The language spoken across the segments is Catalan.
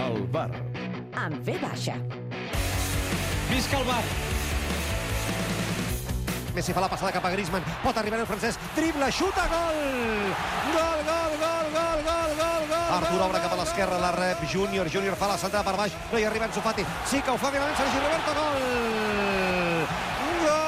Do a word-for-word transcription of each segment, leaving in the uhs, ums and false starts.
El bar. En ve baixa. Visca el bar! Messi fa la passada cap a Griezmann, pot arribar el francès, dribla, xuta, gol! Gol, gol, gol, gol, gol, gol, gol! Artur obre cap a l'esquerra, la rep Júnior, Júnior fa la centrada per baix, no hi arriba Ansu Fati, sí que ho fa finalment Sergi Roberto, gol! Gol!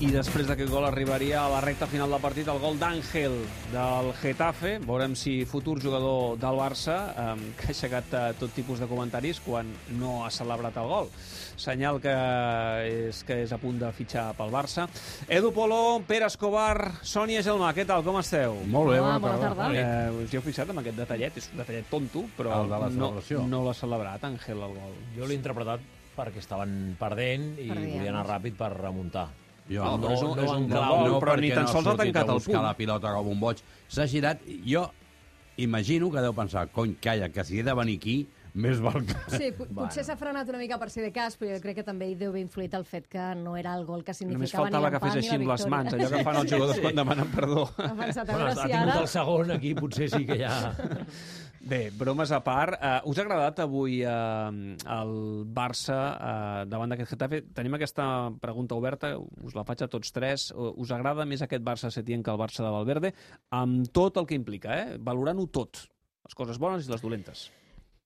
I després d'aquest gol arribaria a la recta final del partit el gol d'Àngel del Getafe. Veurem si futur jugador del Barça, eh, que ha aixecat eh, tot tipus de comentaris quan no ha celebrat el gol. Senyal que és, que és a punt de fitxar pel Barça. Edu Polo, Pere Escobar, Sònia Gelmà, què tal, com esteu? Molt bé, bona, bona tarda. tarda. Eh, us hi heu fixat amb aquest detallet? És un detallet tonto, però El de la no, celebració. no l'ha celebrat, Àngel, el gol. Jo l'he interpretat perquè estaven perdent i Perdien. volia anar ràpid per remuntar. Jo, No, però és un- no és un en gol, clau, però ni perquè tan no sols ha sortit tancat a el buscar punt. la pilota com un boig. S'ha girat. Jo imagino que deu pensar, cony, calla, que si he de venir aquí, més val que... Sí, pot- potser s'ha frenat una mica per ser de cas, però jo crec que també hi deu haver influït el fet que no era el gol que Només significava faltava ni que fes l'empat ni així la amb les victòria. mans, allò que fan els jugadors quan demanen perdó. Ha pensat, a Bueno, veure ha si tingut ara... el segon, aquí potser sí que ja... Bé, bromes a part, uh, us ha agradat avui uh, el Barça uh, davant d'aquest Getafe? Tenim aquesta pregunta oberta, us la faig a tots tres. Uh, us agrada més aquest Barça Setién que el Barça de Valverde? Amb tot el que implica, eh? Valorant-ho tot, les coses bones i les dolentes.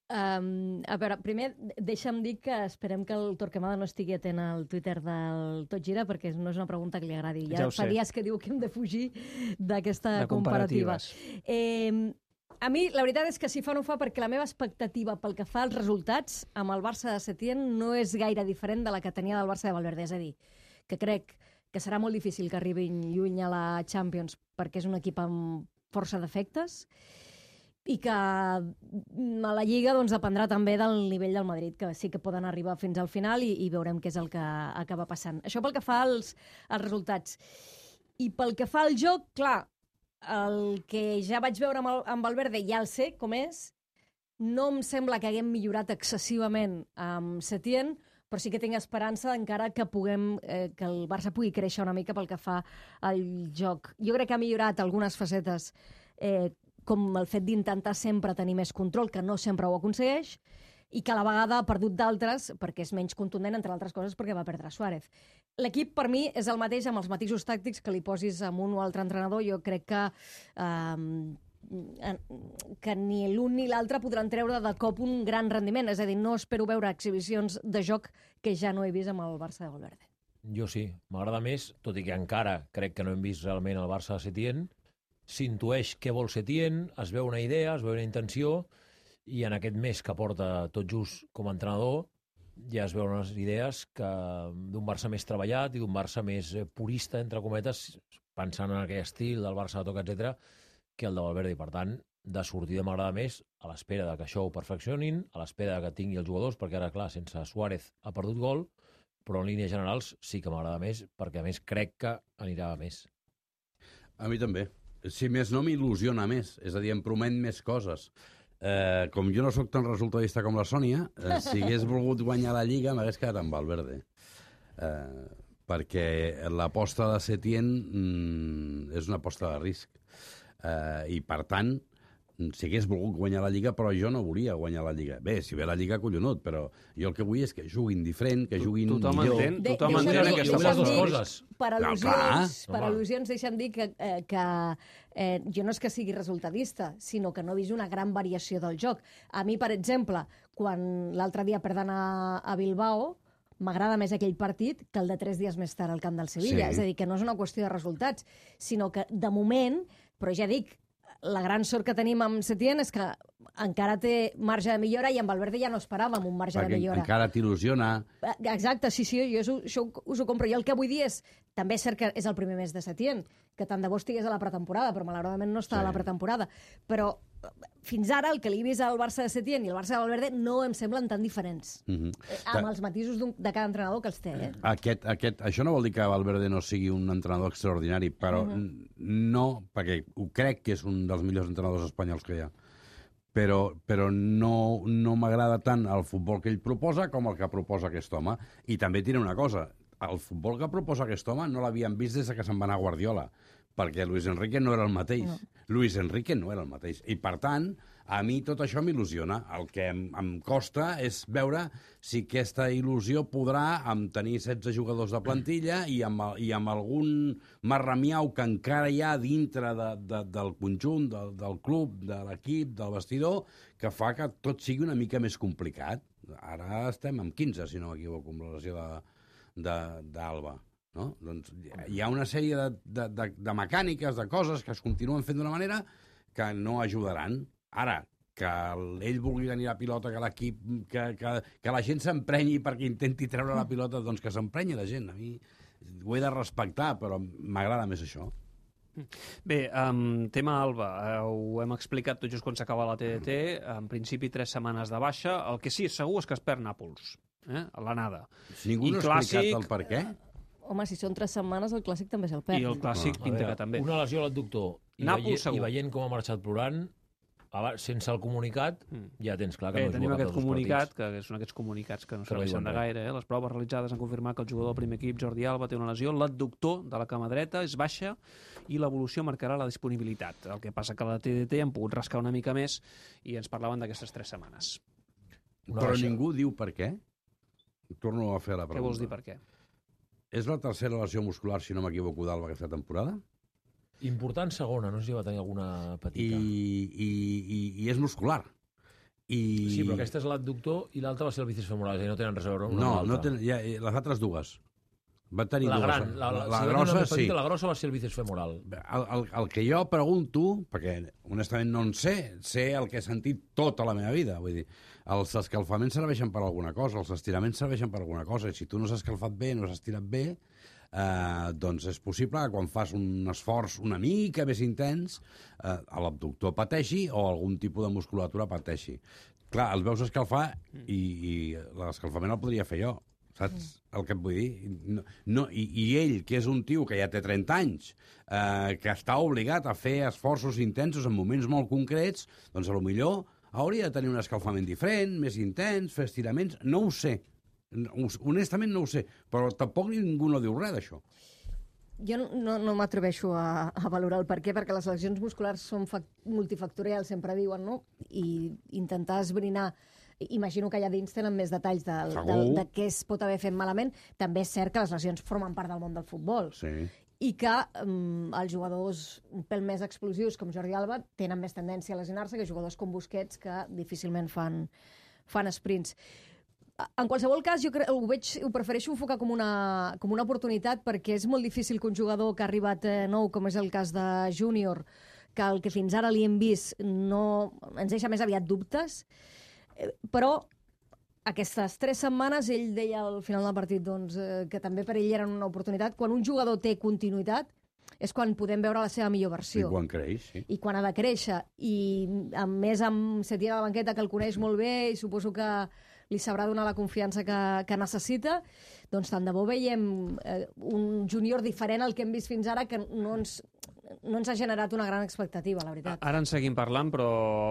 Um, a veure, primer, deixa'm dir que esperem que el Torquemada no estigui atent al Twitter del Tot Gira, perquè no és una pregunta que li agradi. Ja Ja, ho fa sé. dies que diu que hem de fugir d'aquesta De comparativa. comparatives. Eh, a mi, la veritat és que si fa no fa, perquè la meva expectativa pel que fa als resultats amb el Barça de Setién no és gaire diferent de la que tenia del Barça de Valverde. És a dir, que crec que serà molt difícil que arribin lluny a la Champions perquè és un equip amb força defectes i que a la Lliga doncs, dependrà també del nivell del Madrid, que sí que poden arribar fins al final i, i veurem què és el que acaba passant. Això pel que fa als, als resultats. I pel que fa al joc, clar, el que ja vaig veure amb, el, amb Valverde ja el sé com és, no em sembla que haguem millorat excessivament amb Setién, però sí que tinc esperança encara que puguem, eh, que el Barça pugui créixer una mica pel que fa al joc. Jo crec que ha millorat algunes facetes, eh, com el fet d'intentar sempre tenir més control, que no sempre ho aconsegueix, i que a la vegada ha perdut d'altres perquè és menys contundent, entre altres coses, perquè va perdre Suárez. L'equip, per mi, és el mateix amb els matisos tàctics que li posis amb un o altre entrenador. Jo crec que eh, que ni l'un ni l'altre podran treure de cop un gran rendiment. És a dir, no espero veure exhibicions de joc que ja no he vist amb el Barça de Valverde. Jo sí, m'agrada més, tot i que encara crec que no hem vist realment el Barça de Setién. S'intueix què vol Setién, es veu una idea, es veu una intenció, i en aquest mes que porta tot just com a entrenador ja es veuen unes idees que d'un Barça més treballat i d'un Barça més purista, entre cometes, pensant en aquell estil del Barça de toc, etcètera, que el de Valverde. I, per tant, de sortida m'agrada més, a l'espera de que això ho perfeccionin, a l'espera de que tingui els jugadors, perquè ara, clar, sense Suárez ha perdut gol, però en línies generals sí que m'agrada més, perquè a més crec que anirà a més. A mi també. Si més no, m'il·lusiona més. És a dir, em promet més coses. Eh, com jo no sóc tan resultadista com la Sònia, eh, si hagués volgut guanyar la Lliga m'hagués quedat amb Valverde. Eh, perquè l'aposta de Setién mm, és una aposta de risc. Eh, I, per tant, si hagués volgut guanyar la Lliga, però jo no volia guanyar la Lliga. Bé, si ve la Lliga, collonut, però jo el que vull és que juguin diferent, que juguin Tothom millor. entén, De- tothom deixa'm entén dir- aquesta deixa'm postura. dir- coses. Per No, al·lusions, clar. per Home. al·lusions deixa'm dir que, eh, que eh, jo no és que sigui resultadista, sinó que no he vist una gran variació del joc. A mi, per exemple, quan l'altre dia perden a, a Bilbao, m'agrada més aquell partit que el de tres dies més tard al camp del Sevilla. Sí. És a dir, que no és una qüestió de resultats, sinó que, de moment, però ja dic, la gran sort que tenim amb Setién és que encara té marge de millora i amb Valverde ja no esperàvem un marge Perquè de millora. encara t'il·lusiona. Exacte, sí, sí, jo això, això us ho compro. Jo el que vull dir és, també és cert que és el primer mes de Setién, que tant de bo estigués a la pretemporada, però malauradament no està Sí. a la pretemporada. Però eh, fins ara el que li he vist al Barça de Setién i al Barça de Valverde no em semblen tan diferents. Mhm. Eh, Amb els matisos d'un- de cada entrenador que els té. Eh? Aquest, aquest, això no vol dir que Valverde no sigui un entrenador extraordinari, però uh -huh. no, perquè ho crec que és un dels millors entrenadors espanyols que hi ha. Però, però no, no m'agrada tant el futbol que ell proposa com el que proposa aquest home. I també diré una cosa, el futbol que proposa aquest home no l'havíem vist des que se'n va anar a Guardiola. perquè Luis Enrique no era el mateix. No. Luis Enrique no era el mateix. I, per tant, a mi tot això m'il·lusiona. El que em, em costa és veure si aquesta il·lusió podrà amb tenir setze jugadors de plantilla i amb, i amb algun marramiau que encara hi ha dintre de, de, del conjunt, del, del club, de l'equip, del vestidor, que fa que tot sigui una mica més complicat. Ara estem amb quinze, si no m'equivoco, amb la lesió d'Alba. No? Doncs hi ha una sèrie de, de, de, de mecàniques, de coses que es continuen fent d'una manera que no ajudaran. Ara, que ell vulgui tenir la pilota, que l'equip, que, que, que la gent s'emprenyi perquè intenti treure la pilota, doncs que s'emprenyi la gent. A mi ho he de respectar, però m'agrada més això. Bé, um, tema Alba, uh, ho hem explicat tot just quan s'acaba la T D T, en principi tres setmanes de baixa, el que sí és segur és que es perd Nàpols, eh? A l'anada. Si ningú no ha explicat el per què? Home, si són tres setmanes, el Clàssic també se'l perd. I el Clàssic A pinta veure, que també. una lesió a l'adductor i, Nàpols, veient, segur. i veient com ha marxat plorant, abans, sense el comunicat, ja tens clar que Bé, no tenim juga aquest cap dels comunicat, partits. que són aquests comunicats que no Que no serveixen diuen de gaire. Eh? Les proves realitzades han confirmat que el jugador del primer equip, Jordi Alba, té una lesió. L'adductor de la cama dreta és baixa i l'evolució marcarà la disponibilitat. El que passa que a la T D T han pogut rascar una mica més i ens parlaven d'aquestes tres setmanes. Una Però baixa. ningú diu per què? Torno a fer la pregunta. Què vols dir per què? És la tercera lesió muscular, si no m'equivoco, d'Alba aquesta temporada? Important segona, no sé si va tenir alguna I, petita. i, i, i és muscular. I... Sí, però aquesta és l'adductor i l'altra va ser el bíceps femoral, és a dir, no tenen res a veure una No, amb no l'altra. ten, ja, les altres dues. Va tenir La dues. gran, la, la, la, la si va tenir grossa, una més sí. petita, la grossa va ser el bíceps femoral. El, el, el que jo pregunto, perquè honestament no en sé, sé el que he sentit tota la meva vida. Vull dir, els escalfaments serveixen per alguna cosa, els estiraments serveixen per alguna cosa, i si tu no s'has escalfat bé, no has estirat bé, eh, doncs és possible que quan fas un esforç una mica més intens, eh, l'abductor pateixi o algun tipus de musculatura pateixi. Clar, els veus escalfar i, i l'escalfament el podria fer jo. Saps el que et vull dir? No, no, i, I ell, que és un tio que ja té trenta anys, eh, que està obligat a fer esforços intensos en moments molt concrets, doncs potser hauria de tenir un escalfament diferent, més intens, fer estiraments, no ho sé. Honestament no ho sé, però tampoc ningú no diu res d'això. Jo no, no, no m'atreveixo a, a valorar el per què, perquè les lesions musculars són multifactorials, sempre diuen, no? I intentar esbrinar, imagino que allà dins tenen més detalls de, de, de què es pot haver fet malament. També és cert que les lesions formen part del món del futbol. Sí. I que um, els jugadors un pèl més explosius, com Jordi Alba, tenen més tendència a lesionar-se que jugadors com Busquets, que difícilment fan, fan sprints. En qualsevol cas, jo crec, ho, veig, ho prefereixo enfocar com una, com una oportunitat, perquè és molt difícil que un jugador que ha arribat eh, nou, com és el cas de Júnior, que el que fins ara li hem vist no, ens deixa més aviat dubtes, eh, però aquestes tres setmanes ell deia al final del partit doncs, eh, que també per ell eren una oportunitat. Quan un jugador té continuïtat és quan podem veure la seva millor versió. I quan creix, sí. I quan ha de créixer. I a més amb Setién a la banqueta, que el coneix molt bé i suposo que li sabrà donar la confiança que, que necessita, doncs tant de bo veiem eh, un júnior diferent al que hem vist fins ara, que no ens, no ens ha generat una gran expectativa, la veritat. Ara en seguim parlant, però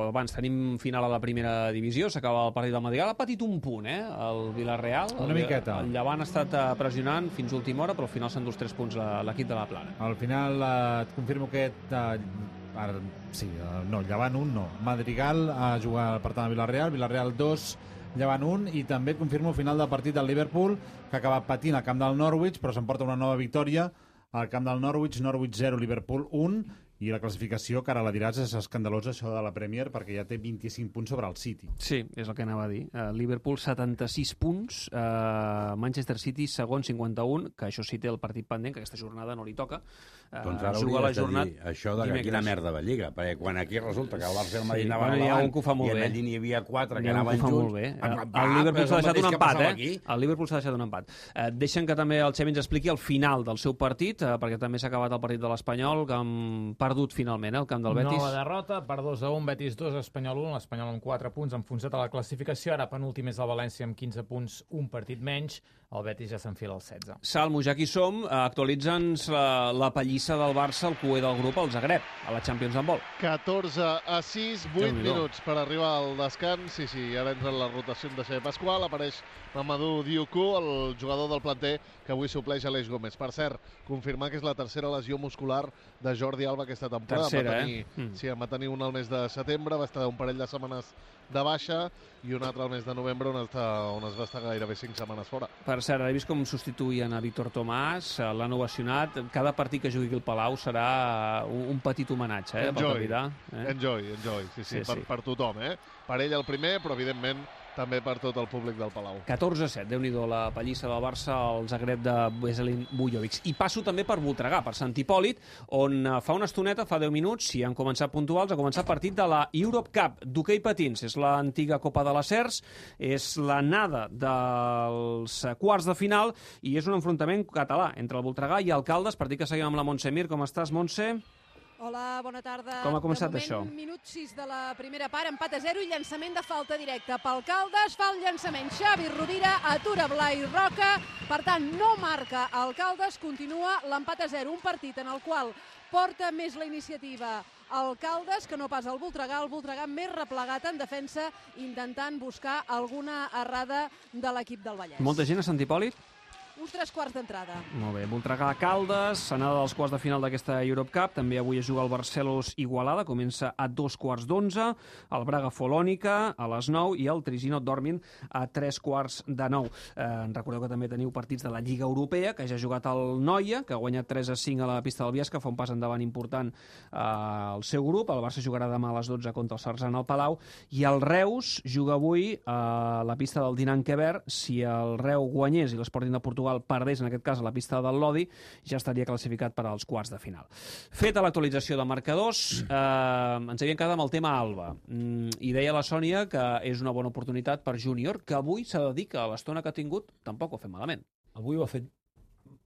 abans tenim final a la primera divisió, s'acaba el partit del Madrigal, ha patit un punt, eh, el Villarreal. Una el, miqueta. El Llevant ha estat pressionant fins a última hora, però al final s'han dus tres punts l'equip de la Plana. Al final eh, et confirmo que eh, ara, sí, eh, no, Llevant un no. Madrigal a jugar per tant a Villarreal, Villarreal dos, Llevant un, i també et confirmo el final del partit del Liverpool, que ha acabat patint al camp del Norwich, però s'emporta una nova victòria al camp del Norwich, Norwich zero, Liverpool un, i la classificació, que ara la diràs, és escandalosa, això de la Premier, perquè ja té vint-i-cinc punts sobre el City. Sí, és el que anava a dir. Uh, Liverpool, setanta-sis punts, uh, Manchester City, segon, cinquanta-un, que això sí té el partit pendent, que aquesta jornada no li toca. Uh, Doncs ara juga la hauries de jornada dir això de que quina merda de Lliga, perquè quan aquí resulta que el Barça i el Madrid Sí, anaven bueno, hi ha endavant un que ho fa molt i bé. allí n'hi havia quatre que N'hi ha un anaven que ho fa junts... molt bé. Ah, El, ah, el Liverpool però s'ha és deixat el un mateix que empat, passava eh? aquí. El Liverpool s'ha deixat un empat. Eh, deixen que també el Xevi ens expliqui el final del seu partit, eh, perquè també s'ha acabat el partit de l'Espanyol, que han perdut finalment, eh, el camp del Betis. Nova derrota, per dos a un, Betis dos, Espanyol un, l'Espanyol amb quatre punts, enfonsat a la classificació, ara penúltim és el València amb quinze punts, un partit menys. el Betis ja s'enfila al setze. Salmo, ja aquí som, actualitza'ns la, la pallissa del Barça, el cué del grup, el Zagreb, a la Champions Handball. catorze a sis, vuit minuts per arribar al descans. Sí, sí, ara entra en la rotació de Xavi Pasqual, apareix Mamadou Dioukou, el jugador del planter que avui supleix Aleix Gómez. Per cert, confirmar que és la tercera lesió muscular de Jordi Alba aquesta temporada. Tercera, va tenir, eh? Mm. Sí, va tenir una al mes de setembre, va estar un parell de setmanes de baixa i una altra al mes de novembre on, està, on es va estar gairebé cinc setmanes fora. Per cert, he vist com substituïen a Víctor Tomàs, l'han ovacionat. Cada partit que jugui el Palau serà un, un petit homenatge, eh, pel capità. Eh? Enjoy, enjoy, sí, sí, Sí, per, sí. per tothom, eh? Per ell el primer, però evidentment també per tot el públic del Palau. catorze a set, Déu-n'hi-do, la pallissa del Barça al Zagreb de Veselin Bujovic. I passo també per Voltregà, per Sant Hipòlit, on eh, fa una estoneta, fa deu minuts, si han començat puntuals, ha començat partit de la Europe Cup d'hoquei patins. És l'antiga Copa de les Cers, és l'anada dels quarts de final i és un enfrontament català entre el Voltregà i el Caldes, partit que seguim amb la Montse Mir. Com estàs, Montse? Hola, bona tarda. Com ha començat de moment, això? Minut sis de la primera part, empat a zero i llançament de falta directa pel Caldes. Fa el llançament Xavi Rovira, atura Blai Roca. Per tant, no marca el Caldes, continua l'empat a zero. Un partit en el qual porta més la iniciativa el Caldes que no pas el Voltregà. El Voltregà més replegat en defensa, intentant buscar alguna errada de l'equip del Vallès. Molta gent a Sant Hipòlit? Uns tres quarts d'entrada. Molt bé, Voltregà Caldes, anada dels quarts de final d'aquesta Europe Cup. També avui es juga el Barcelos Igualada, comença a dos quarts d'onze, el Braga Folònica a les nou i el Trisino Dormin a tres quarts de nou. Eh, recordeu que també teniu partits de la Lliga Europea, que ja ha jugat el Noia, que ha guanyat tres a cinc a la pista del Biesca, fa un pas endavant important eh, al seu grup. El Barça jugarà demà a les dotze contra el Sarzana al Palau, i el Reus juga avui a la pista del Dinant Queber. Si el Reus guanyés i l'Sporting de Portugal perdés, en aquest cas, a la pista del Lodi, ja estaria classificat per als quarts de final. Feta l'actualització de marcadors, eh, ens havíem quedat amb el tema Alba. Mm, I deia la Sònia que és una bona oportunitat per Júnior, que avui s'ha de dir que a l'estona que ha tingut tampoc ho ha fet malament. Avui ho ha fet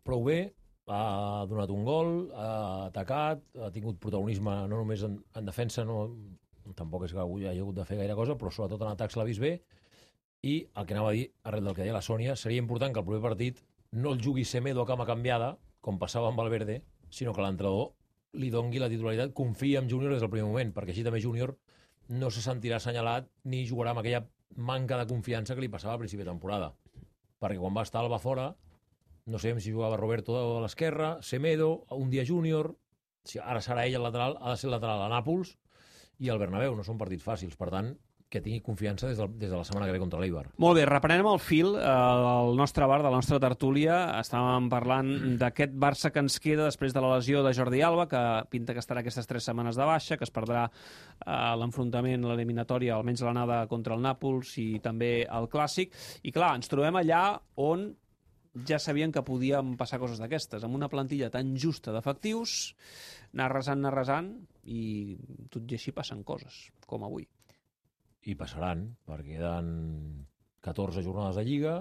prou bé, ha donat un gol, ha atacat, ha tingut protagonisme no només en, en defensa, no, tampoc és que avui hagi hagut de fer gaire cosa, però sobretot en atacs l'ha vist bé. I el que anava a dir, arrel del que deia la Sònia, seria important que el proper partit no el jugui Semedo a cama canviada, com passava amb Valverde, sinó que l'entrenador li dongui la titularitat, confia en Júnior des del primer moment, perquè així també Júnior no se sentirà assenyalat ni jugarà amb aquella manca de confiança que li passava al principi de temporada. Perquè quan va estar Alba fora, no sabem si jugava Roberto a l'esquerra, Semedo, un dia Júnior, si ara serà ell el lateral, ha de ser el lateral a Nàpols i al Bernabéu, no són partits fàcils, per tant, que tingui confiança des de, des de la setmana que ve contra l'Eibar. Molt bé, reprenem el fil, eh, el nostre bar, de la nostra tertúlia. Estàvem parlant d'aquest Barça que ens queda després de la lesió de Jordi Alba, que pinta que estarà aquestes tres setmanes de baixa, que es perdrà eh, l'enfrontament, l'eliminatòria, almenys l'anada contra el Nàpols i també el Clàssic. I clar, ens trobem allà on ja sabien que podien passar coses d'aquestes, amb una plantilla tan justa d'efectius, anar resant, anar resant, i tot i així passen coses, com avui. I passaran, perquè queden catorze jornades de Lliga,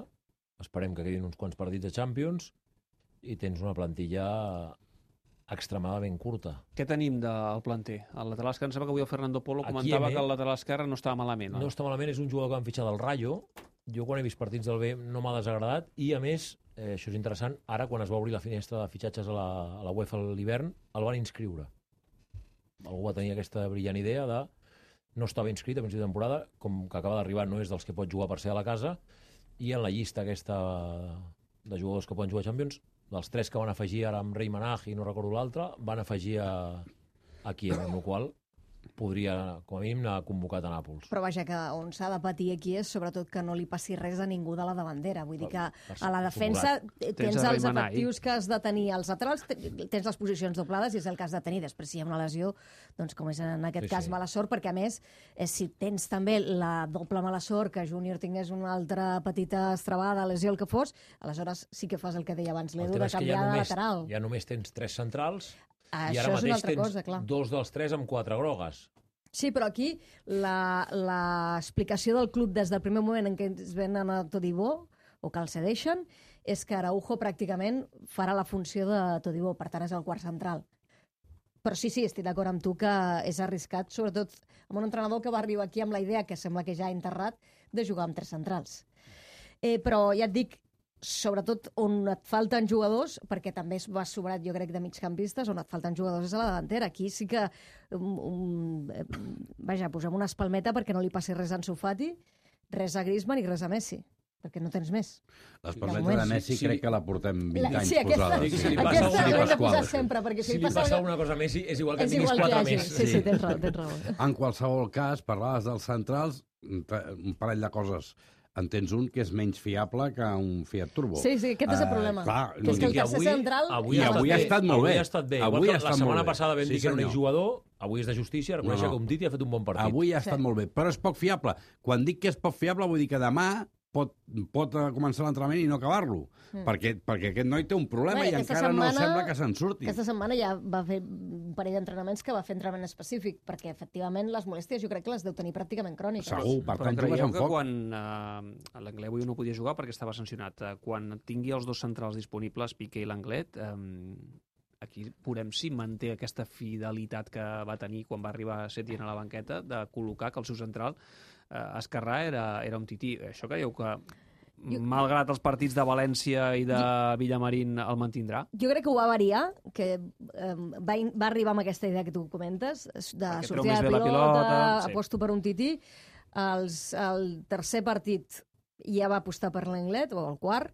esperem que quedin uns quants partits de Champions, i tens una plantilla extremadament curta. Què tenim del planter? El lateral esquerre, em sembla que avui el Fernando Polo Aquí comentava M. que el lateral esquerre no estava malament. No està malament, és un jugador que han fitxat del Rayo. Jo quan he vist partits del B no m'ha desagradat, i a més, eh, això és interessant, ara quan es va obrir la finestra de fitxatges a la, a la UEFA a l'hivern, el van inscriure. Algú va tenir aquesta brillant idea de no estava inscrit a principi de temporada, com que acaba d'arribar no és dels que pot jugar per ser a la casa, i en la llista aquesta de jugadors que poden jugar a Champions, dels tres que van afegir ara amb Rei Manaj i no recordo l'altre, van afegir a, a Kiev, amb el qual podria, com a mínim, anar convocat a Nàpols. Però vaja, que on s'ha de patir aquí és sobretot que no li passi res a ningú de la davantera. Vull dir que a la defensa tens, tens els efectius que has de tenir. Als laterals tens les posicions doblades i és el que has de tenir. Després, si hi ha una lesió, doncs com és en aquest sí, cas sí. mala sort, perquè a més, eh, si tens també la doble mala sort, que Júnior tingués una altra petita estrabada, lesió, el que fos, aleshores sí que fas el que deia abans l'Edu, de canviar de lateral. Ja només tens tres centrals, Ah, i ara mateix tens cosa, clar. dos dels tres amb quatre grogues. Sí, però aquí l'explicació del club des del primer moment en què es venen a Todibó, o que el cedeixen, és que Araujo pràcticament farà la funció de Todibó, per tant és el quart central. Però sí, sí, estic d'acord amb tu que és arriscat, sobretot amb un entrenador que va arribar aquí amb la idea, que sembla que ja ha enterrat, de jugar amb tres centrals. Eh, però ja et dic, sobretot on et falten jugadors, perquè també va sobrat, jo crec, de migcampistes, on et falten jugadors és a la davantera. Aquí sí que, um, um, vaja, posem una espalmeta perquè no li passi res a Ansu Fati, res a Griezmann i res a Messi, perquè no tens més. L'espalmeta de Messi sí, crec que la portem vint La, anys sí, aquesta, posada. Sí, si li aquesta passa l'hem de Pasqual. posar sempre, perquè si, Si li passa, passa alguna cosa a Messi, és igual que és tinguis igual que quatre hagi. més. Sí, sí, tens raó, tens raó. En qualsevol cas, parlaves dels centrals, un parell de coses. En tens un que és menys fiable que un Fiat Turbo. Sí, sí, aquest és el Eh, problema. clar, que és que el I tercer avui- central... avui I ha avui ha estat molt avui bé. ha estat bé. Avui Igual que ha estat la setmana molt bé. passada vam Sí, dir que era un senyor. exjugador, avui és de justícia reconèixer No, no. que un Titi ha fet un bon partit. Avui ha Sí. estat molt bé, però és poc fiable. Quan dic que és poc fiable vull dir que demà pot, pot eh, començar l'entrenament i no acabar-lo. Mm. Perquè, perquè aquest noi té un problema Bé, i aquesta encara setmana- no sembla que se'n surti. Aquesta setmana ja va fer un parell d'entrenaments que va fer entrenament específic, perquè efectivament les molèsties jo crec que les deu tenir pràcticament cròniques. Segur, per Però tant, jugues creieu amb que foc. quan eh, l'Anglès avui no podia jugar perquè estava sancionat, eh, quan tingui els dos centrals disponibles, Piqué i l'Anglet, eh, aquí veurem si manté aquesta fidelitat que va tenir quan va arribar Setién a la banqueta, de col·locar que el seu central eh, esquerrà era, era un tití. Això creieu que, Jo- malgrat els partits de València i de Villamarín, el mantindrà? Jo crec que ho va variar, que eh, va, in- va arribar amb aquesta idea que tu comentes, de Perquè treu sortida més de bé la pilota, pilota, sí. aposto per un tití. Els, el tercer partit ja va apostar per l'Anglet, o el quart,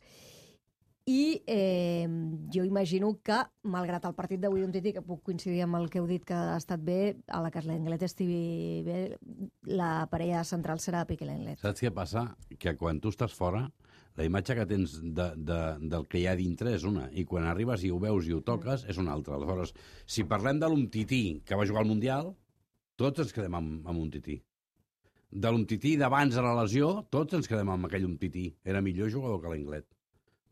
i eh, jo imagino que, malgrat el partit d'avui d'un tití, que puc coincidir amb el que heu dit que ha estat bé, a la que l'Anglet estigui bé, la parella central serà Piqué i l'Anglet. Saps què passa? Que quan tu estàs fora, la imatge que tens de, de, del que hi ha dintre és una, i quan arribes i ho veus i ho toques és una altra. Aleshores, si parlem de l'Umtití que va jugar al Mundial, tots ens quedem amb, amb un tití. De l'Umtití d'abans de la lesió, tots ens quedem amb aquell Umtití. Era millor jugador que l'Anglet.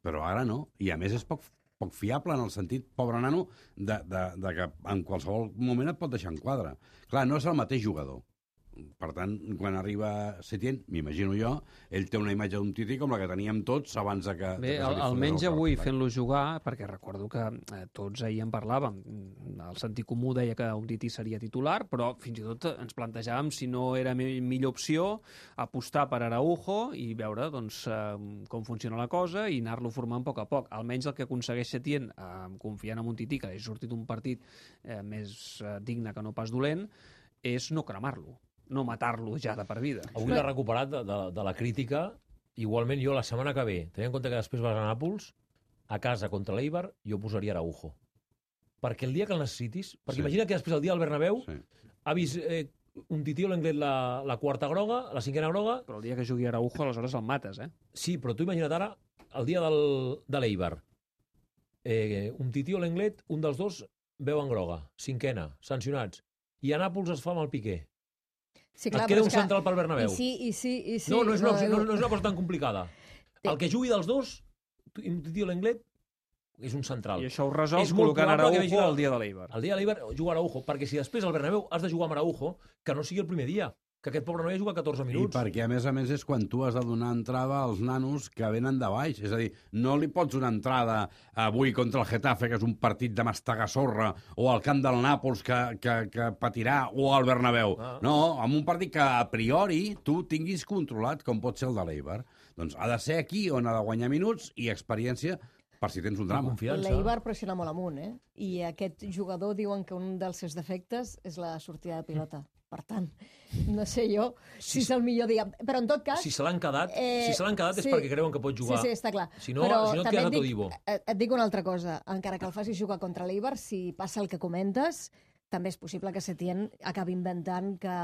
Però ara no. I a més és poc, poc fiable en el sentit, pobre nano, de, de, de que en qualsevol moment et pot deixar en quadre. Clar, no és el mateix jugador. Per tant, quan arriba Setién, m'imagino jo, ell té una imatge d'un tití com la que teníem tots abans de que... Bé, de que se li al, fotés almenys el avui, cap. fent-lo jugar, perquè recordo que eh, tots ahir en parlàvem, el sentit comú deia que un tití seria titular, però fins i tot ens plantejàvem si no era mi millor opció apostar per Araujo i veure doncs, eh, com funciona la cosa i anar-lo formant a poc a poc. Almenys el que aconsegueix Setién, eh, confiant en un tití que hagi sortit un partit eh, més eh, digne que no pas dolent, és no cremar-lo, no matar-lo ja de per vida. Avui l'ha recuperat de, de, de la crítica. Igualment, jo la setmana que ve, tenint en compte que després vas a Nàpols, a casa contra l'Eibar, jo posaria Araujo. Perquè el dia que el necessitis... Perquè Sí. imagina que després, el dia del Bernabéu, Sí. ha vist eh, un tití o l'Anglet la, la quarta groga, la cinquena groga... Però el dia que jugui Araujo, aleshores el mates, eh? Sí, però tu imagina't ara, el dia del, de l'Eibar, eh, un tití o l'Anglet, un dels dos veu en groga, cinquena, sancionats. I a Nàpols es fa amb el Piqué. Sí, Et queda un central pel Bernabéu. I sí, i sí, i sí. No, no és, una, opció, no, no, no és una cosa tan complicada. El que jugui dels dos, un tití o l'Anglet, és un central. I això ho resol És molt col·locant probable que Araujo vagi- el dia de l'Eibar. El dia de l'Eibar juga Araujo, perquè si després al Bernabéu has de jugar amb Araujo, que no sigui el primer dia, que aquest pobre noi ha jugat catorze I minuts. perquè, a més a més, és quan tu has de donar entrada als nanos que venen de baix. És a dir, no li pots donar entrada avui contra el Getafe, que és un partit de mastegar sorra, o al camp del Nàpols, que, que, que patirà, o al Bernabéu. Ah. No, amb un partit que a priori tu tinguis controlat, com pot ser el de l'Eibar. Doncs ha de ser aquí on ha de guanyar minuts i experiència per si tens un drama. Confiança. L'Eibar pressiona molt amunt, eh? I aquest jugador diuen que un dels seus defectes és la sortida de pilota. Per tant, no sé jo si, Si- és el millor dia. Però en tot cas... Si se l'han quedat, Eh, si se l'han quedat és sí. perquè creuen que pot jugar. Sí, sí, està clar. Si no, Però si no et també quedes a et dic- Todibo. Et, et dic una altra cosa. Encara que el facis jugar contra l'Eibar, si passa el que comentes, també és possible que Setién acabi inventant que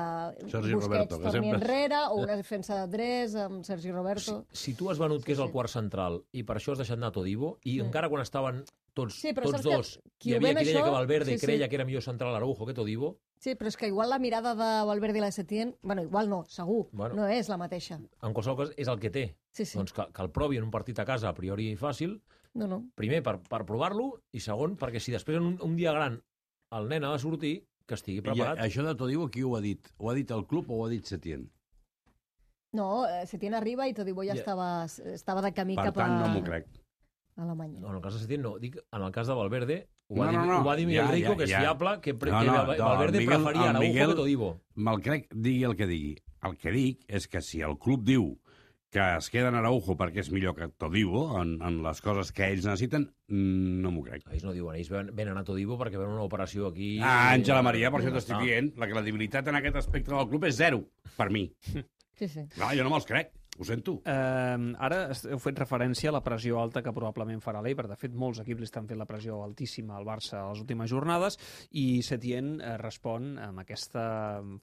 Sergi Busquets Roberto, que torni sempre- enrere, o una defensa de tres amb Sergi Roberto. Si, si tu has venut que és Sí, el sí. quart central i per això has deixat anar Todibo, i encara quan estaven tots, Sí, però tots saps que dos, qui hi ho havia ven qui deia això- que Valverde sí, sí. creia que era millor central Araujo que Todibo, Sí, però és que igual la mirada de Valverde i la de Setién... Bueno, igual no, segur, Bueno. no és la mateixa. en qualsevol cas és el que té. Sí, sí. Doncs que, que el provi en un partit a casa a priori fàcil, No, no. primer per, per provar-lo i segon perquè si després en un, un dia gran el nen ha de sortir, que estigui I preparat. això de Todibo, qui ho ha dit? Ho ha dit el club o ho ha dit Setién? No, eh, Setién arriba i Todibo ja Ja. estava, estava de camí Per cap tant, a no m'ho crec. Alemanya. No, en el cas de Setién no, dic en el cas de Valverde, ho No, va, dir, no, no. ho va dir Miguel Ja, Rico, ja, que és ja. fiable, que, pre, No, que no, Val- no, Valverde el Miguel- preferia el Araujo Miguel- que Todibo. Me'l crec, digui el que digui. El que dic és que si el club diu que es queden a Araujo perquè és millor que Todibo en, en les coses que ells necessiten, no m'ho crec. Ells no diuen, ells venen a Todibo perquè venen una operació aquí... Ah, Àngela Maria, per això t'estic dient, la credibilitat en aquest aspecte del club és zero, per mi. Sí, sí. Clar, jo no me'ls crec. Ho sento. Uh, ara heu fet referència a la pressió alta que probablement farà l'Eibar. De fet, molts equips li estan fent la pressió altíssima al Barça a les últimes jornades i Setién uh, respon amb aquesta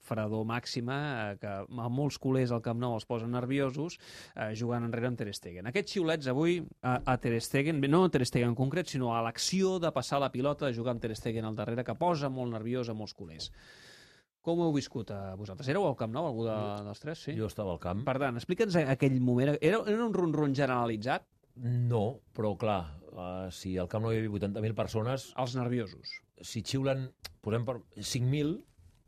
fredor màxima uh, que a molts culers al Camp Nou els posen nerviosos uh, jugant enrere amb Ter Stegen. Aquests xiulets avui a, a Ter Stegen, no a Ter Stegen en concret, sinó a l'acció de passar la pilota, de jugar amb Ter Stegen al darrere, que posa molt nerviós a molts culers. Com ho heu viscut a vosaltres? Éreu al Camp Nou, algú de, dels tres? Sí? Jo estava al camp. Per tant, explica'ns aquell moment. Era, era un ron-ron generalitzat? No, però clar, uh, si al Camp Nou hi havia vuitanta mil persones... Els nerviosos. Si xiulen, posem per cinc mil,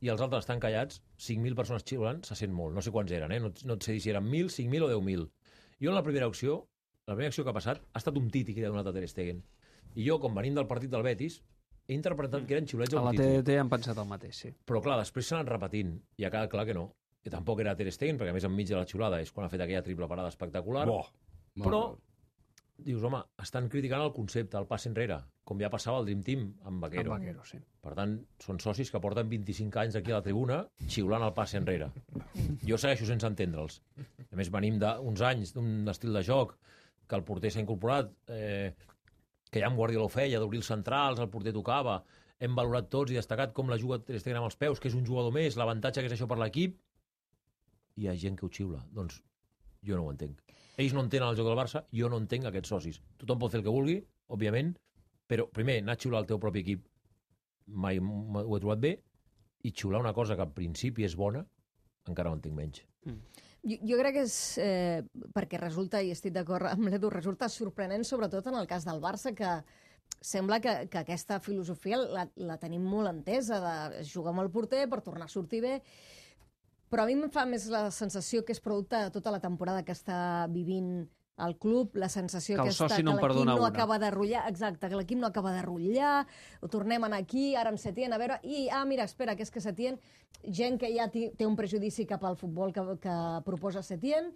i els altres estan callats, cinc mil persones xiulen, se sent molt. No sé quants eren, eh? No, no et sé dir si eren mil, cinc mil o deu mil. Jo en la primera acció, la primera acció que ha passat, ha estat un titi que li ha donat a Ter Stegen. I jo, com venim del partit del Betis, he interpretat que eren xiulets a un la titi. T D T han pensat el mateix, sí. Però clar, després s'han anat repetint i ha quedat clar que no. Que tampoc era Ter Stegen, perquè a més enmig de la xiulada és quan ha fet aquella triple parada espectacular. Bo. Però dius, home, estan criticant el concepte, el passe enrere, com ja passava al Dream Team amb Vaquero. Amb Vaquero, sí. Per tant, són socis que porten vint-i-cinc anys aquí a la tribuna xiulant el passe enrere. Jo segueixo sense entendre'ls. A més, venim d'uns anys d'un estil de joc que el porter s'ha incorporat, eh, que ja amb Guardiola ho feia, d'obrir els centrals, el porter tocava, hem valorat tots i destacat com la juga Ter Stegen amb els peus, que és un jugador més, l'avantatge que és això per l'equip, i hi ha gent que ho xiula. Doncs jo no ho entenc. Ells no entenen el joc del Barça, jo no entenc aquests socis. Tothom pot fer el que vulgui, òbviament, però primer, anar a xiular el teu propi equip mai ho he trobat bé, i xiular una cosa que en principi és bona, encara ho entenc menys. Mm. Jo, jo crec que és eh, perquè resulta, i estic d'acord amb l'Edu, resulta sorprenent, sobretot en el cas del Barça, que sembla que, que aquesta filosofia la, la tenim molt entesa, de jugar amb el porter per tornar a sortir bé, però a mi em fa més la sensació que és producte de tota la temporada que està vivint el club, la sensació que, que, està, que no l'equip no una. acaba de rotllar, exacte, que l'equip no acaba de rotllar, ho tornem a anar aquí, ara amb Setién, a veure, i, ah, mira, espera, que és que Setién, gent que ja té un prejudici cap al futbol que, que proposa Setién,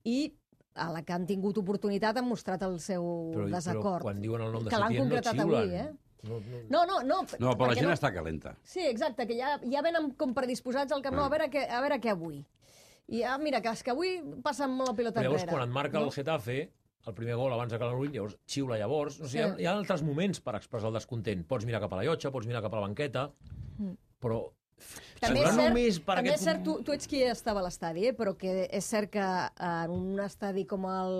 i a la que han tingut oportunitat han mostrat el seu però, desacord. Però quan diuen el nom de que Setién no xiulen. Avui, eh? No, no, no, no, no, no, però la gent no... està calenta. Sí, exacte, que ja, ja venen com predisposats al Camp Nou, a veure què, a veure què avui. I ah, mira, que, que avui passen molt la pilota llavors, enrere. Quan et marca no? el Getafe, el primer gol abans de Calabrull, llavors xiula llavors. No sé, sí. hi, ha, hi ha altres moments per expressar el descontent. Pots mirar cap a la llotja, pots mirar cap a la banqueta, mm. però... També és cert, per també aquest... és cert tu, tu ets qui estava a l'estadi, eh? Però que és cert que en un estadi com el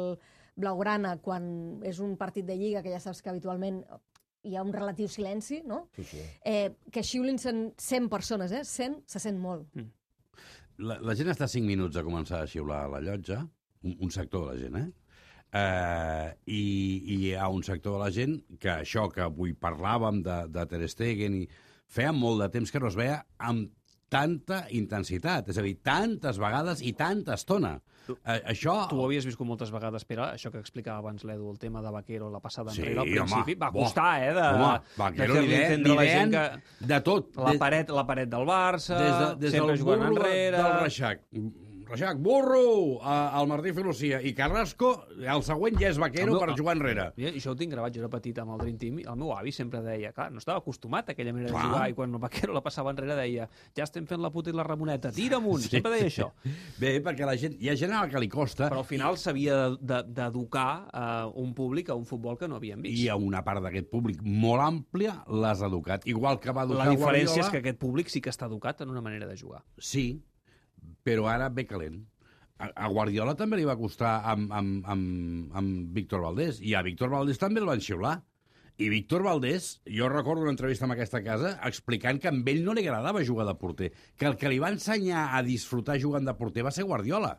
Blaugrana, quan és un partit de Lliga, que ja saps que habitualment hi ha un relatiu silenci, no? Sí, sí. Eh, que xiulin cent persones, eh? cent se sent molt. Mm. La, la gent està cinc minuts a començar a xiular a la llotja, un, un sector de la gent, eh? Uh, i, i hi ha un sector de la gent que això que avui parlàvem de, de Ter Stegen i feia molt de temps que no es veia amb tanta intensitat, és a dir, tantes vegades i tanta estona. Uh, això... Tu ho havies viscut moltes vegades, Pere, això que explicava abans l'Edu, el tema de Vaquero, la passada sí, enrere, al principi, home, va costar, eh? De, home, Vaquero de fer-li entendre la gent que... de tot. La paret, la paret del Barça, des de, des sempre del jugant burro enrere... del Reixac. Reixac, burro, al Martí Filosia i Carrasco, el següent ja és Vaquero meu, per jugar enrere. I això ho tinc gravat, jo era petit amb el Dream Team, i el meu avi sempre deia, clar, no estava acostumat a aquella manera clar. de jugar, i quan el Vaquero la passava enrere deia, ja estem fent la puta i la Ramoneta, tira amunt, sí. sempre deia això. Bé, perquè la gent, hi ha gent a la que li costa... Però al final s'havia d'educar uh, un públic a un futbol que no havíem vist. I a una part d'aquest públic molt àmplia l'has educat, igual que va educar La diferència Guardiola... és que aquest públic sí que està educat en una manera de jugar. Sí, però ara ve calent. A Guardiola també li va costar amb, amb, amb, amb Víctor Valdés, i a Víctor Valdés també el van xiular. I Víctor Valdés, jo recordo una entrevista en aquesta casa explicant que a ell no li agradava jugar de porter, que el que li va ensenyar a disfrutar jugant de porter va ser Guardiola,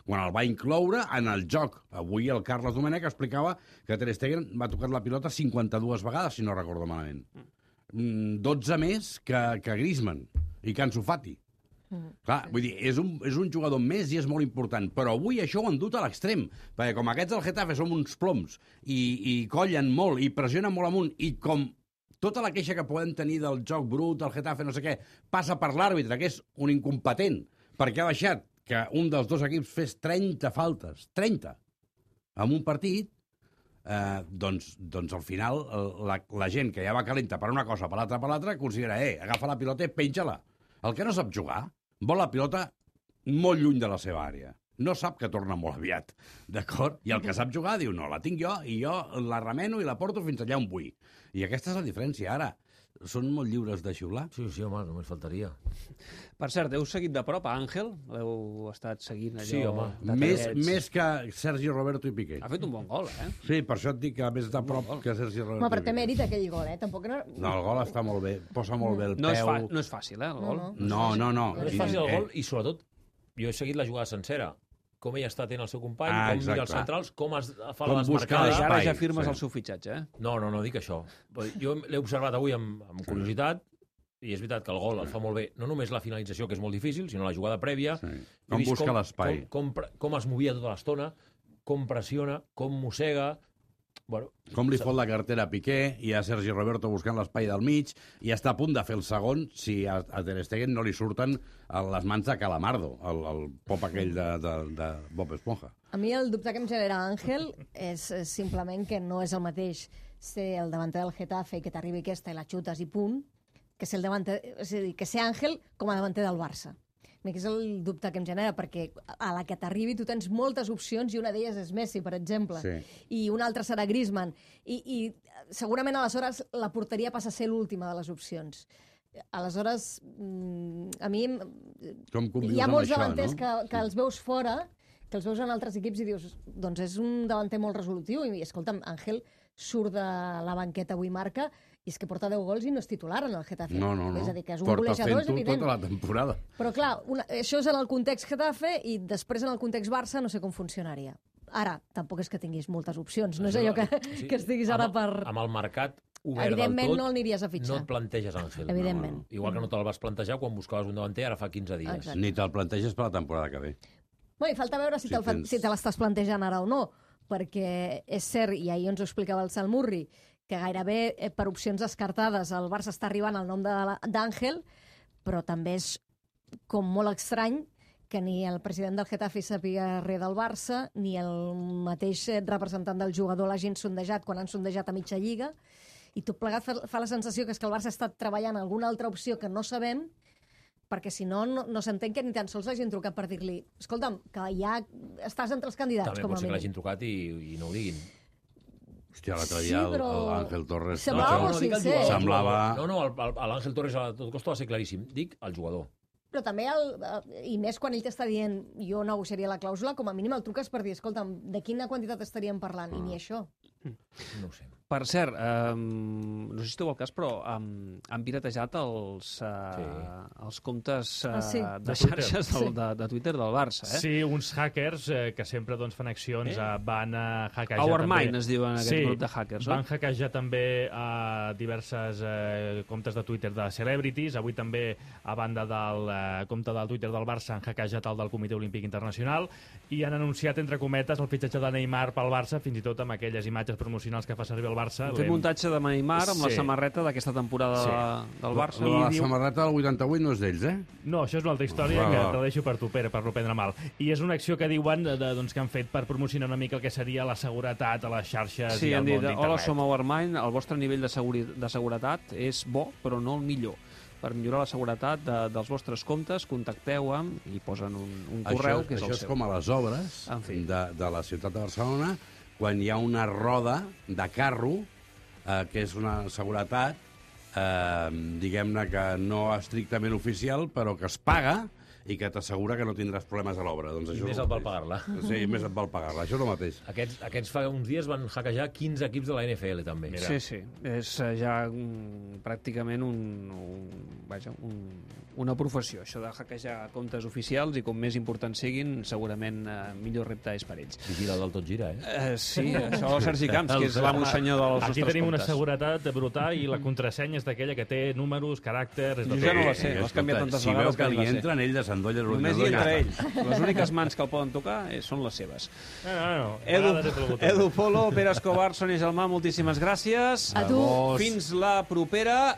quan el va incloure en el joc. Avui el Carles Domènech explicava que Ter Stegen va tocar la pilota cinquanta-dues vegades, si no recordo malament. dotze més que, que Griezmann i que Ansu Fati. Mm. Clar, vull dir, és un, és un jugador més i és molt important, però avui això ho han dut a l'extrem, perquè com aquests del Getafe som uns ploms i, i collen molt i pressionen molt amunt, i com tota la queixa que podem tenir del joc brut, del Getafe, no sé què, passa per l'àrbitre, que és un incompetent, perquè ha deixat que un dels dos equips fes trenta faltes, trenta, en un partit, eh, doncs, doncs al final la, la gent que ja va calenta per una cosa, per l'altra, per l'altra, considera, eh, agafa la pilota i penja-la. El que no sap jugar vol la pilota molt lluny de la seva àrea. No sap que torna molt aviat, d'acord? I el que sap jugar diu, no, la tinc jo, i jo la remeno i la porto fins allà on vull. I aquesta és la diferència. Ara, són molt lliures de xiular? Sí, sí, home, només faltaria. Per cert, heu seguit de prop a Àngel? L'heu estat seguint allò... Sí, home. Més, més que Sergi Roberto i Piqué. Ha fet un bon gol, eh? Sí, per això et dic que més de prop que Sergi Roberto Home, però té i Piqué. mèrit aquell gol, eh? Tampoc no... No, el gol està molt bé, posa molt bé el No és, peu. fa, no és fàcil, eh, el gol? No, No, no, no. No és fàcil el gol i, sobretot, jo he seguit la jugada sencera. Com ell està atent el seu company, Ah, com mira els exacte. centrals, com es fa Com la busca desmarcada. l'espai. Ara ja firmes sí. el seu fitxatge, eh? No, no, no dic això. Jo l'he observat avui amb, amb curiositat i és veritat que el gol el fa molt bé. No només la finalització, que és molt difícil, sinó la jugada prèvia. Sí. He Com vist busca l'espai. Com, com, com es movia tota l'estona, com pressiona, com mossega... Bueno, Com li fot la cartera a Piqué, i a Sergi Roberto buscant l'espai del mig, i està a punt de fer el segon si a, a Ter Stegen no li surten a les mans de Calamardo, el, el pop aquell de, de, de Bob Esponja. A mi el dubte que em genera Àngel és eh, simplement que no és el mateix ser el davanter del Getafe i que t'arribi aquesta i la xutes i punt, que ser, el davanter, és a dir, que ser Àngel com a davanter del Barça. A mi és el dubte que em genera, perquè a la que t'arribi tu tens moltes opcions i una d'elles és Messi, per exemple, Sí. i una altra serà Griezmann, i, i segurament aleshores la porteria passa a ser l'última de les opcions. Aleshores, mm, a mi Com convius hi ha amb molts això, davanters no? que, que els veus fora, que els veus en altres equips i dius, doncs és un davanter molt resolutiu, i escolta'm, Àngel surt de la banqueta avui marca, i és que porta deu gols i no és titular en el Getafe. No, no, no. És a dir, que és un Porta golejador, és fent-ho evident. tota la temporada. Però clar, una, això és en el context Getafe i després en el context Barça no sé com funcionaria. Ara, tampoc és que tinguis moltes opcions, no és allò que, sí, que estiguis ara amb, per... Amb el mercat obert del Evidentment tot, no l'aniries a fitxar. no et planteges Àngel. Evidentment. No, igual que no te'l vas plantejar quan buscaves un davanter ara fa quinze dies. Exacte. Ni te'l planteges per la temporada que ve. Bé, i falta veure si, Si te'l fa- tens- si te l'estàs plantejant ara o no, perquè és cert, i ahir ens ho explicava el Salmurri, que gairebé eh, per opcions descartades el Barça està arribant al nom de la- d'Àngel, però també és com molt estrany que ni el president del Getafe sàpiga res del Barça, ni el mateix eh, representant del jugador l'hagin sondejat quan han sondejat a mitja lliga, i tot plegat fa, fa la sensació que és que el Barça ha estat treballant alguna altra opció que no sabem, perquè si no, no, no s'entén que ni tan sols l'hagin trucat per dir-li escolta'm, que ja estàs entre els candidats, També com pot a ser que mínim. l'hagin trucat i, i no ho diguin. Hòstia, l'altre Sí, dia el- però- l'Àngel Torres... Semblava no, molt no dic el sincer. jugador, Semblava- el jugador. No, no, el- el- l'Àngel Torres a tot costa va ser claríssim. Dic el jugador. Però també, el, eh, i més quan ell t'està dient jo negociaria la clàusula, com a mínim el truques per dir, escolta'm, de quina quantitat estaríem parlant? I ni això. No ho sé. Per cert, um, no sé si esteu al cas, però um, han piratejat els, uh, Sí. els comptes uh, Ah, sí. de, De Twitter. xarxes del, Sí. de, de Twitter del Barça. Eh? Sí, uns hackers eh, que sempre doncs, fan accions, eh? van a hackejar Our també... Mind es diuen aquest sí, grup de hackers, van oi? hackejar també a diverses eh, comptes de Twitter de celebrities. Avui també, a banda del eh, compte del Twitter del Barça, han hackejat el del Comitè Olímpic Internacional i han anunciat, entre cometes, el fitxatge de Neymar pel Barça, fins i tot amb aquelles imatges promocionals que fa servir el Barça. Han fet muntatge de Neymar amb la Sí. samarreta d'aquesta temporada Sí. de, del Barça. Lo de la diu- samarreta del vuitanta-vuit no és d'ells, eh? No, això és una altra història Va, que va. te la deixo per tu, Pere, per no prendre mal. I és una acció que diuen de, de, doncs, que han fet per promocionar una mica el que seria la seguretat a les xarxes Sí, i al han món dit, d'internet. hola, som Our Mind, el vostre nivell de, seguri de seguretat és bo, però no el millor. Per millorar la seguretat de, dels vostres comptes, contacteu amb, i posen un, un correu, això, que és això el és seu. com a les obres En fi. de, de la ciutat de Barcelona, quan hi ha una roda de carro, eh, que és una seguretat, eh, diguem-ne que no estrictament oficial, però que es paga i que t'assegura que no tindràs problemes a l'obra. Doncs I això més és et el val mateix. pagar-la. Sí, més et val pagar-la. Això és el mateix. Aquests, aquests fa uns dies van hackejar quinze equips de la N F L, també. Mira. Sí, sí, és eh, ja mm, pràcticament un, un, vaja, un, una professió, això de hackejar comptes oficials, i com més importants siguin, segurament eh, millor repte és per ells. Vigila del tot gira, eh? Eh, sí, això el Sergi Camps, que és l'amo senyor dels Aquí nostres tenim una comptes. seguretat brutal i la contrasenya és d'aquella que té números, caràcters... És de Jo ja tot. no la sé, Eh, l'has canviat tantes si vegades veu que que li ni la sé. entren, ell desendolla Només hi l'ordinador i entra ja ell. està. Les úniques mans que el poden tocar eh, són les seves. No, no, no. A Edu, vegades és el botó. Edu Polo, Pere Escobar, Sònia Gelmà, moltíssimes gràcies. A tu. Fins la propera.